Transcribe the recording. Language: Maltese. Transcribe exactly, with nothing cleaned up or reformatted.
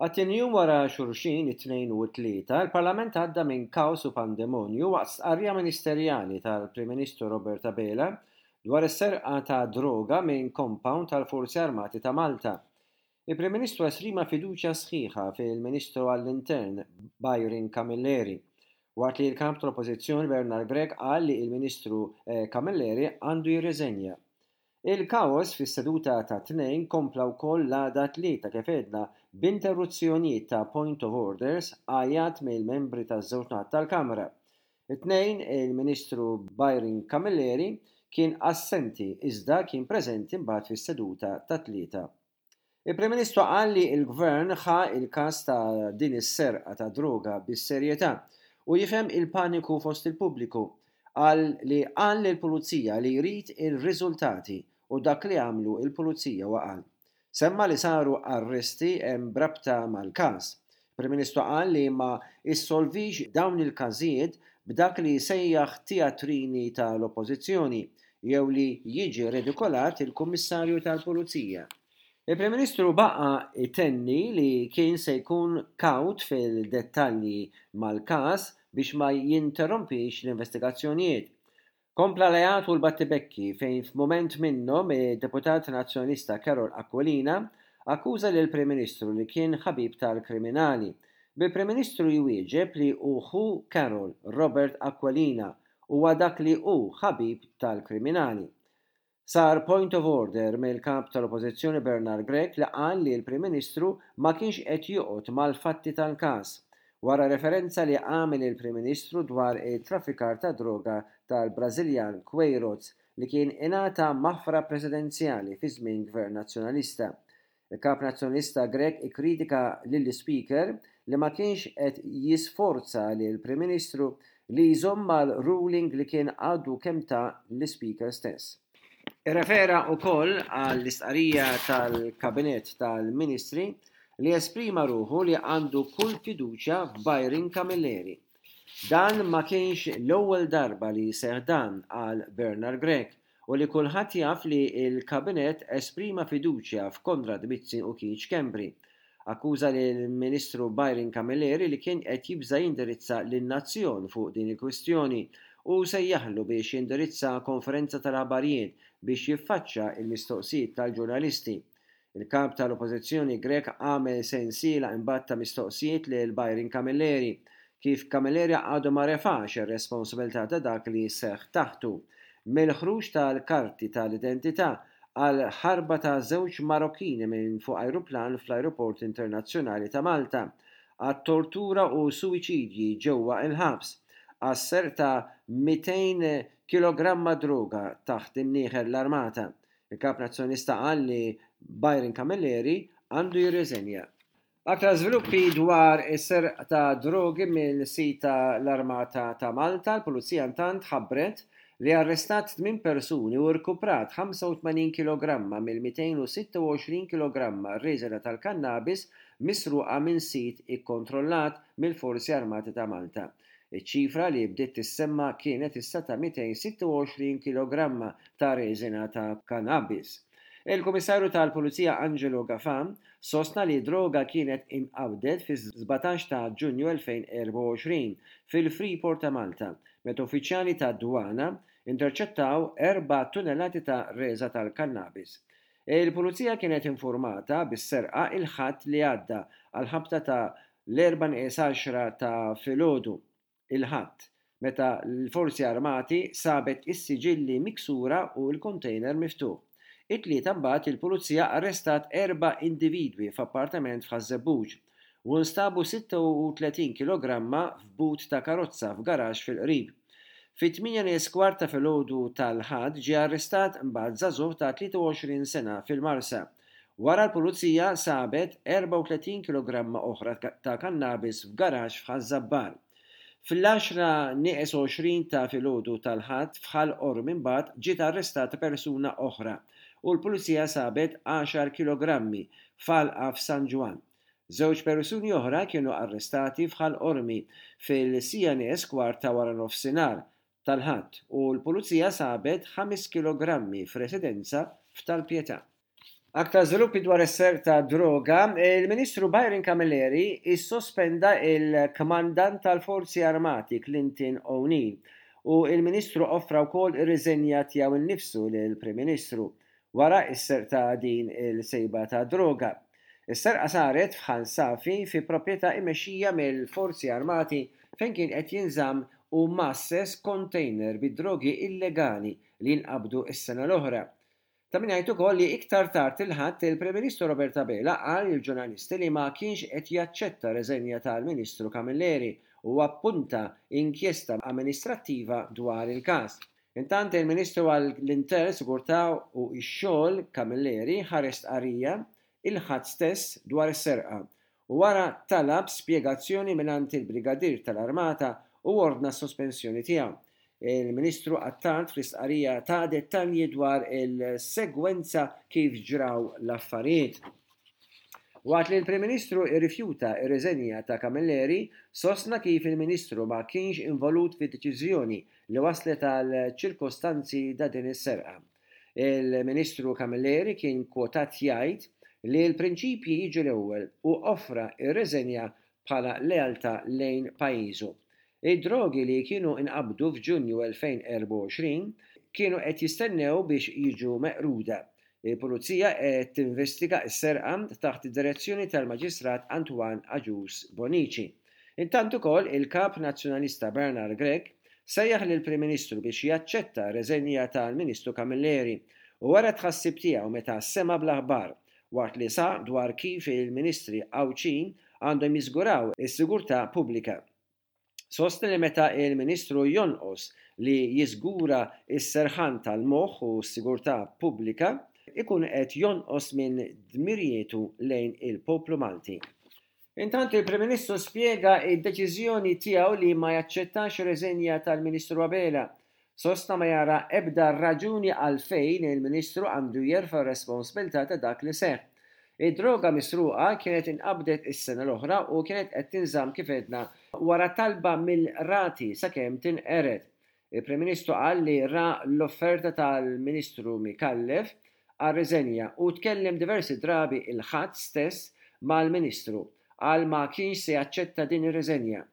Għat-tieni jum wara xulxin, it-Tnejn u t-Tlieta, il-Parlament għadda minn kaos u pandemonju waqt stqarrija ministerjali tal-Prim Ministru Robert Abela dwar is-serqa ta' droga minn compound tal-Forzi Armati ta' Malta. Il-Prim Ministru esprima fiduċja sħiħa fil-Ministru għall-Intern Byron Camilleri, waqt li l-kap tal-Oppożizzjoni Bernard Grech qal li il-Ministru eh, Camilleri għandu jirriżenja. Il-kaos fis-seduta tat-Tnejn kompla wkoll l-għada Tlieta, kif għedna, b'interruzzjonijiet ta' point of orders, għajat mill-membri taż-żewġ naħat tal-Kamra. It-Tnejn il-Ministru Byron Camilleri kien assenti, iżda kien preżenti mbagħad fis-seduta ta' Tlieta. Il-Prim Ministru qal li l-Gvern ħa il-każ ta' din is-serqa ta' droga bis-serjetà u jifhem il-paniku fost il-pubbliku. Qal li qal lill-pulizija li jrid il-riżultati u dak li għamlu il-pulizija u qal. Semma li saru arresti hemm b'rabta mal-każ. Prim Ministru qal li ma issolvix dawn il-każijiet b'dak li sejjaħ teatrini tal-Oppożizzjoni jew li jiġi redikolat il-Kummissarju tal-Pulizija. Il-Prim Ministru baqa itenni li kien se jkun kawt fil-dettalji mal-każ biex ma jinterrompix l-investigazzjonijiet. Kompla l-għajat u l-battibekki, fejn f'mument minnhom id-deputat nazzjonalista Karol Aquilina akkuża lil Prim Ministru li kien ħabib tal-kriminali. Bil-Prim Ministru jwieġeb li hu Karol Robert Aquilina huwa dak li hu ħabib tal-kriminali. Sar point of order mill-kap tal-Oppożizzjoni Bernard Grech, li qal li l-Prim Ministru ma kienx qed joqgħod mal-fatti tal-każ wara referenza li għamel il-Prim Ministru dwar il-traffikar ta' droga tal-Brażiljan Queiroz, li kien ingħata maħfra presidenzjali fi żmien gvern nazzjonalista. Il-kap nazzjonalista Grech ikkritika lill-Speaker li ma kienx qed jisforza li l-Prim Ministru li jżomm mal-ruling li kien għadu kemm ta l-Speaker stess. Irrefera wkoll għall-istqarrija tal-Kabinet tal-Ministri li esprima ruħu li għandu kull fiduċja f'Byron Camilleri. Dan ma kienx l-ewwel darba li seħ dan, qal Bernard Grech, u li kulħadd jaf li l-Kabinet esprima fiduċja f'Konrad Mizzi u Keith Schembri. Akkuża lill-Ministru Byron Camilleri li kien qed jibża jindirizza lin-nazzjon fuq din il-kwistjoni u sejjaħlu biex jindirizza konferenza tal-aħbarijiet biex jiffaċċa il-mistoqsijiet tal-ġurnalisti. Il-kap tal-Oppożizzjoni Grech għamel sensiela imbagħad ta' mistoqsijiet lil Byron Camilleri, kif Camilleri għadu ma refax ir-responsabilità ta' dak li seħ taħtu, mill-ħruġ tal-karti tal-identità għal ħarba ta' żewġ Marokkini minn fuq ajruplan fl-Ajruport Internazzjonali ta' Malta, għat tortura u suwiċidji ġewwa il-ħabs, għas-serq ta' mitejn kilogramma droga taħt imnieħer l-armata. Il-kap nazzjonalista qal li Byron Camilleri għandu jirriżenja. Aktar żviluppi dwar is-serq ta' drogi minn sit l-Armata ta' Malta: l-Pulizija intant ħabbret li arrestat tmien persuni u rkuprat ħamsa u tmenin kilogramma mill-mitejn u sitta u għoxrin kilogramma reżina tal-kannabis misruqa minn sit ikkontrollat mill-Forzi Armati ta' Malta. Iċ-ċifra li bdiet tissemma kienet issa ta' mitejn u sitta u għoxrin kilogramma ta' reżina ta' kannabis. Il-Komissarju tal-Pulizija Angelo Gafà sostna li droga kienet inqabdet fi sbatax ta' Ġunju elfejn u erbgħa u għoxrin fil-Freeport ta' Malta, meta uffiċjali ta' dwana interċettaw erba' tunnellati ta' reża tal-kannabis. Il-Pulizija kienet informata bis-serqa il-Ħadd li għadda għal ħabta ta' l-erbgħa nieqes għaxra ta' filgħodu il-Ħadd, meta l-Forzi Armati sabet is-siġilli miksura u l-kontejner miftuħ. It-Tlieta mbagħad il-Pulizija arrestat erba' individwi f'appartament f'Ħaż-Żebbuġ u nstabu sitta u tletin kilogramma f'but ta' karozza f'garaxx fil-qrib. Fit-tmienja nieqes kwart ta' filgħodu tal-Ħadd ġie arrestat mbagħad żagħżugħ ta' tlieta u għoxrin sena fil-Marsa. Wara l-Pulizija sabet erbgħa u tletin kilogramma oħra ta' kannabis f'garaxx f'Ħaż-Żabbar. Fl-għaxra nieqes għoxrin ta' filgħodu tal-Ħadd f'Ħal Qormi mbagħad ġiet arrestata persuna oħra u l-Pulizija sabet għaxar kilogrammi f'għalqa f'San Ġwann. Żewġ persuni oħra kienu arrestati f'Ħal Qormi fil-siegħa nieqes kwart ta' wara nofsinhar tal-Ħadd u l-Pulizija sabet ħames kilogrammi f'residenza f'Tal-Pietà. Aktar żviluppi dwar is-serq ta' droga, il-Ministru Byron Camilleri issospenda il-Kmandant tal-Forzi Armati Clinton O'Neill u il-Ministru offra wkoll ir-riżenja tiegħu nnifsu lill-Prim Ministru wara s-serq ta' din il-sejba ta' droga. Is-serqa saret f'Ħal Safi fi proprjetà immexxija mill-Forzi Armati fejn kien qed jinżamm u masses container bi drogi illegali li jinqabdu s-sena l-oħra. Ta' min jgħid ukoll li iktar tard il-Ħadd il-Prim Ministru Robert Abela qal lill-ġurnalisti li ma kienx qed jaċċetta reżenja tal-Ministru Camilleri u appunta inkjesta amministrattiva dwar il-każ. Intant il-Ministru għall-Intern, Sigurtà u x-Xogħol Camilleri ħareġ stqarrija il-Ħadd stess dwar is-serqa u wara talab spjegazzjoni mingħand il-Brigadier tal-Armata u ordna s-sospensjoni tiegħu. Il-Ministru Attard fl-istqarrija ta dettalji dwar il-segwenza kif ġraw l-affarijiet. Waqt li l-Prim Ministru irrifjuta ir-riżenja ta' Camilleri, sostna kif il-Ministru ma kienx involut fid-deċiżjoni li waslet għal ċirkostanzi da din is-serqa. Il-Ministru Camilleri kien kwotat jgħid li l-prinċipji jiġu l-ewwel u offra ir-riżenja bħala lealtà lejn pajjiżu. Id-drogi li kienu inqabdu f'Ġunju elfejn erbgħa u għoxrin kienu qed jistennew biex jiġu meqruda. Il-Pulizija qed tinvestiga s-serqa taħt id-direzzjoni tal-Maġistrat Antoine Agius Bonici. Intant ukoll il-Kap Nazzjonalista Bernard Grech sejjaħ lill-Prim Ministru biex jaċċetta reżenja tal-Ministru Camilleri u wara tħassib tiegħu meta sema bl-aħbar waqt li sa dwar kif il-Ministri Għawdxin għandhom jiżguraw is-sigurtà pubblika. Sostni li meta il-Ministru jonqos li jiżgura s-serħan tal-moħħ u s-sigurtà pubblika, ikun qed jonqos minn dmirijietu lejn il-poplu Malti. Intant il-Prim Ministru spjega id-deċiżjoni tiegħu li ma jaċċettax reżenja tal-Ministru Abela. Sostna ma jara ebda raġuni għalfejn il-Ministru għandu jerfa' responsabilità ta' dak li seħħ. Id-droga misruqa kienet inqabdet is-sena l-oħra u kienet qed tinżamm kif għedna wara talba mill-rati sakemm tinqered. Il-Prim Ministru qal li ra l-offerta tal-Ministru Micallef għar-riżenja u tkellem diversi drabi il-Ħadd stess mal-Ministru għal ma kienx se jaċċetta din ir-riżenja.